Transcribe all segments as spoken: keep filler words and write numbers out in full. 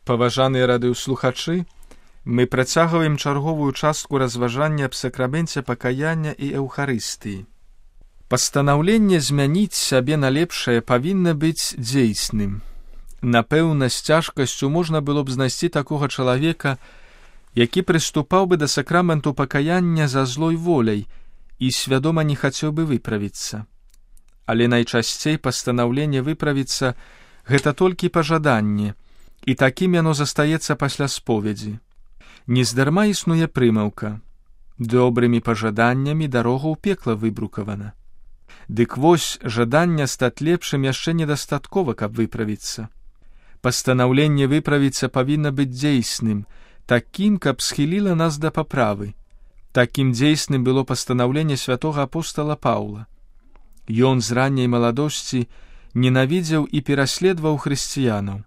Паважаныя радыёслухачы, мы працягваем чарговую частку разважання аб сакраменце пакаяння і эўхарыстыі. Пастанаўленне змяніць сябе на лепшае павінна быць дзейсным. Напэўна, з цяжкасцю можна было б знайсці такога чалавека, які прыступаў бы да сакраменту пакаяння за злой воляй і свядома не хацеў бы выправіцца. Але найчасцей пастанаўленне выправіцца – гэта толькі пажаданне, і такім яно застаецца пасля споведзі. Нездарма існуе прымаўка: добрымі пажаданнямі дарога ў пекла выбрукавана. Дык вось, жаданне стаць лепшым яшчэ недастаткова, каб выправіцца. Пастанаўленне выправіцца павінна быць дзейсным, такім, каб схіліла нас да паправы. Такім дзейсным было пастанаўленне святога апостала Паўла. Ён з ранняй маладосці ненавідзеў і пераследаваў хрысціянаў,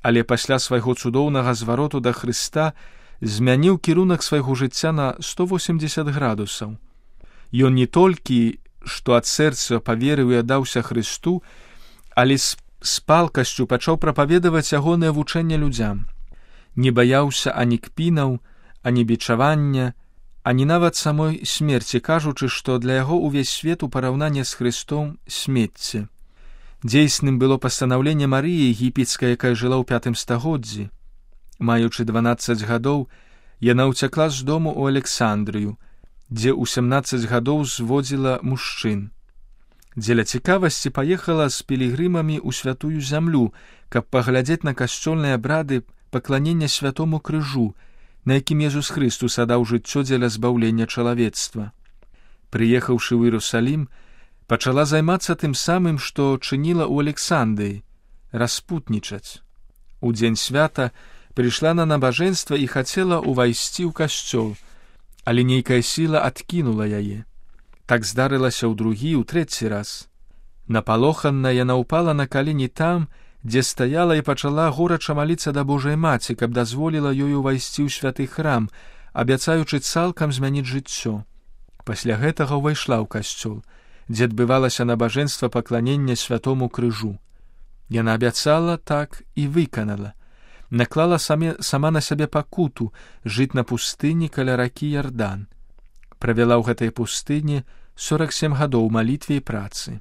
але пасля свайго цудоўнага звароту да Хрыста змяніў кірунак свайго жыцця на сто восемдзесят градусаў. Ён не толькі, што ад сэрца паверыў і аддаўся Хрысту, але з, з палкасцю пачаў прапаведаваць ягонае вучэнне людзям. Не баяўся ані кпінаў, ані бичавання, ані нават самой смерці, кажучы, што для яго ўвесь свет у параўнанні з Хрыстом смецце. Дзейсным было пастанаўленне Марыі егіпецкай, якая жыла ў пятым стагоддзі. Маючы дванаццаць гадоў, яна ўцякла з дому ў Александрыю, дзе ў сямнаццаць гадоў зводзіла мужчын. Дзеля цікавасці паехала з пілігрымамі ў святую зямлю, каб паглядзець на касцёльныя абрады пакланення святому крыжу, на якім Езус Хрыстус аддаў жыццё дзеля збаўлення чалавецтва. Прыехаўшы ў Іерусалім, пачала займацца тым самым, што чыніла ў Александрыі – распутнічаць. У дзень свята прыйшла на набажэнства і хацела ўвайсці ў касцёл, але нейкая сіла адкінула яе. Так здарылася ў другі, ў трэці раз. Напалоханая яна ўпала на калені там, дзе стаяла і пачала горача маліцца да Божай Маці, каб дазволіла ёй увайсці ў святы храм, абяцаючы цалкам змяніць жыццё. Пасля гэтага ўвайшла ў касцёл, дзе адбывалася набажэнства пакланення святому крыжу. Яна абяцала, так і выканала. Наклала саме, сама на сябе пакуту жыць на пустыні каля ракі Ярдан. Правяла ў гэтай пустыні сорак сем гадоў малітве і працы.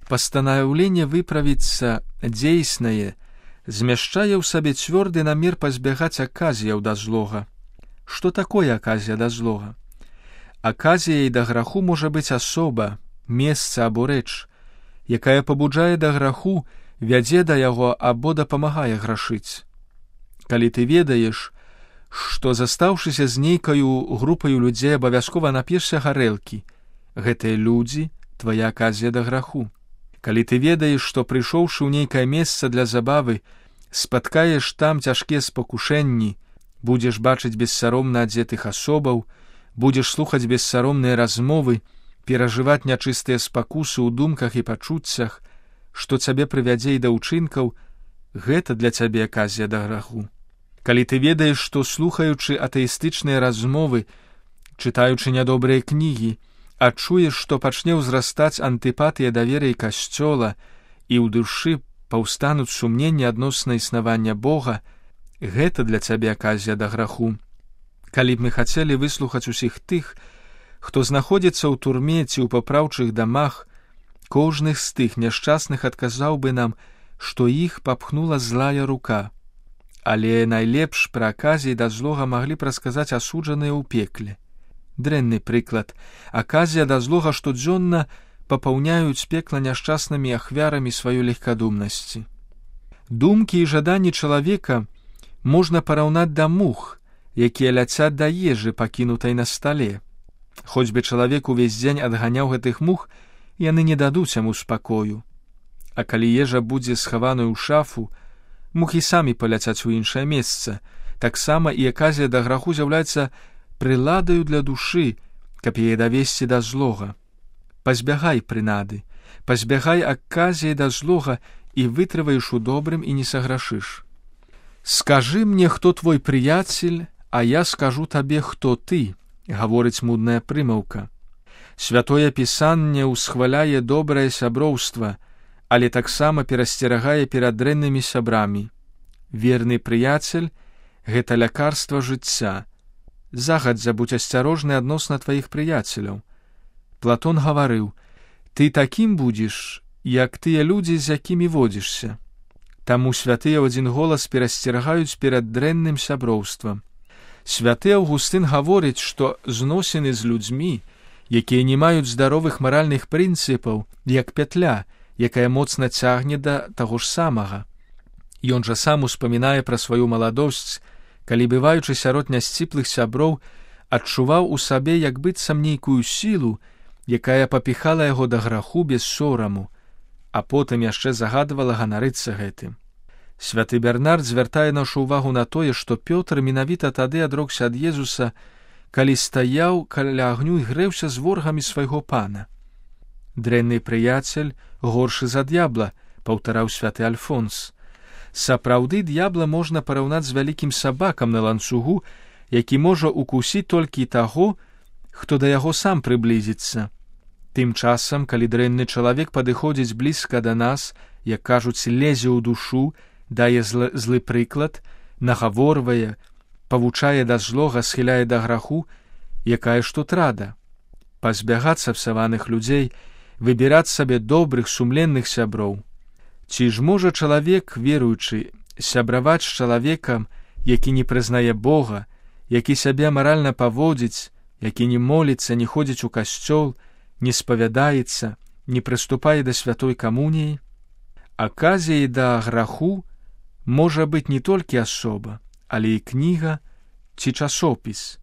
Пастанаўленне выправіцца дзейснае змяшчае ў сабе цвёрды намер пазбягаць аказіяў да злога. Што такое аказія да злога? Аказіяй да граху можа быць асоба, месца або рэч, якая пабуджае да граху, вядзе да яго або дапамагае грашыць. Калі ты ведаеш, што застаўшыся з нейкаю групаю людзей абавязкова нап'ешся гарэлкі, гэтыя людзі – твая аказія да граху. Калі ты ведаеш, што прыйшоўшы ў нейкае месца для забавы, спаткаеш там цяжкія спакушэнні, будзеш бачыць бессаромна адзетых асобаў, будзеш слухаць бессаромныя размовы, перажываць нячыстыя спакусы ў думках і пачуццях, што цябе прывядзе і да ўчынкаў, гэта для цябе аказія да граху. Калі ты ведаеш, што, слухаючы атэістычныя размовы, чытаючы нядобрыя кнігі, адчуеш, што пачне ўзрастаць антыпатыя да веры і касцёла, і ў душы паўстануць сумненні адносна існавання Бога, гэта для цябе аказія да граху. Калі б мы хацелі выслухаць усіх тых, хто знаходзіцца ў турме ці ў папраўчых дамах, кожны з тых няшчасных адказаў бы нам, што іх папхнула злая рука. Але найлепш пра аказіі да злога маглі б расказаць асуджаныя ў пекле. Дрэнны прыклад. Аказія да злога штодзённа папаўняюць пекла няшчаснымі ахвярамі сваёй легкадумнасці. Думкі і жаданні чалавека можна параўнаць да мух, якія ляцяць да ежы, пакінутай на стале. Хоць бы чалавек увесь дзень адганяў гэтых мух, яны не дадуць яму спакою. А калі ежа будзе схаваную ў шафу, мухі самі паляцяць у іншае месца. Таксама і аказія да граху з'яўляецца прыладаю для душы, каб яе давесці да злога. Пазбягай прынады, пазбягай аказіі да злога і вытрываеш у добрым і не саграшыш. Скажы мне, хто твой прыяцель, а я скажу табе, хто ты, гаворыць мудная прымаўка. Святое Пісанне ўсхваляе добрае сяброўства, але таксама перасцерагае перад дрэннымі сябрамі. Верны прыяцель — гэта лякарства жыцця. Загадзя будзь асцярожны адносна тваіх прыяцеляў. Платон гаварыў: ты такім будзеш, як тыя людзі, з якімі водзішся. Таму святыя ў адзін голас перасцерагаюць перад дрэнным сяброўствам. Святы Аўгустын гаворыць, што зносіны з людзьмі, якія не маюць здаровых маральных прынцыпаў, як пятля, якая моцна цягне да таго ж самага. Ён жа сам успамінае пра сваю маладосць, калі, бываючы сярод нясціплых сяброў, адчуваў у сабе як быццам нейкую сілу, якая папіхала яго да граху без сораму, а потым яшчэ загадвала ганарыцца гэтым. Святы Бернард звяртае нашу ўвагу на тое, што Пётр менавіта тады адрокся ад Езуса, калі стаяў каля агню і грэўся з ворагамі свайго пана. Дрэнны прыяцель горшы за д'ябла, паўтараў святы Альфонс. Сапраўды, д'ябла можна параўнаць з вялікім сабакам на ланцугу, які можа укусіць толькі таго, хто да яго сам прыблізіцца. Тым часам, калі дрэнны чалавек падыходзіць блізка да нас, як кажуць, лезе ў душу, дае злы, злы прыклад, нагаворвае, павучае да злога, схіляе да граху, якая ж тут рада? Пазбягацца псаваных людзей, выбіраць сабе добрых, сумленных сяброў. Ці ж можа чалавек, веруючы, сябраваць з чалавекам, які не прызнае Бога, які сябе маральна паводзіць, які не моліцца, не ходзіць у касцёл, не спавядаецца, не прыступае да святой камуніі? Аказіяй да граху можа быць не толькі асоба, але і кніга ці часопіс.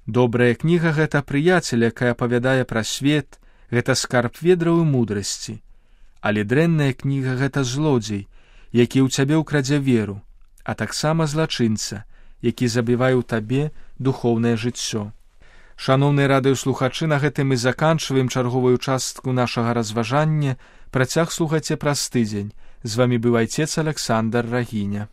Добрая кніга — гэта прыяцель, якая апавядае пра свет, гэта скарб ведраў і мудрасці. Але дрэнная кніга — гэта злодзей, які ў цябе ўкрадзе веру, а таксама злачынца, які забівае ў табе духоўнае жыццё. Шаноўныя радыёслухачы, на гэтым мы заканчваем чарговую частку нашага разважання. Працяг слухайце праз тыдзень. З вамі быў айцец Аляксандр Рагіня.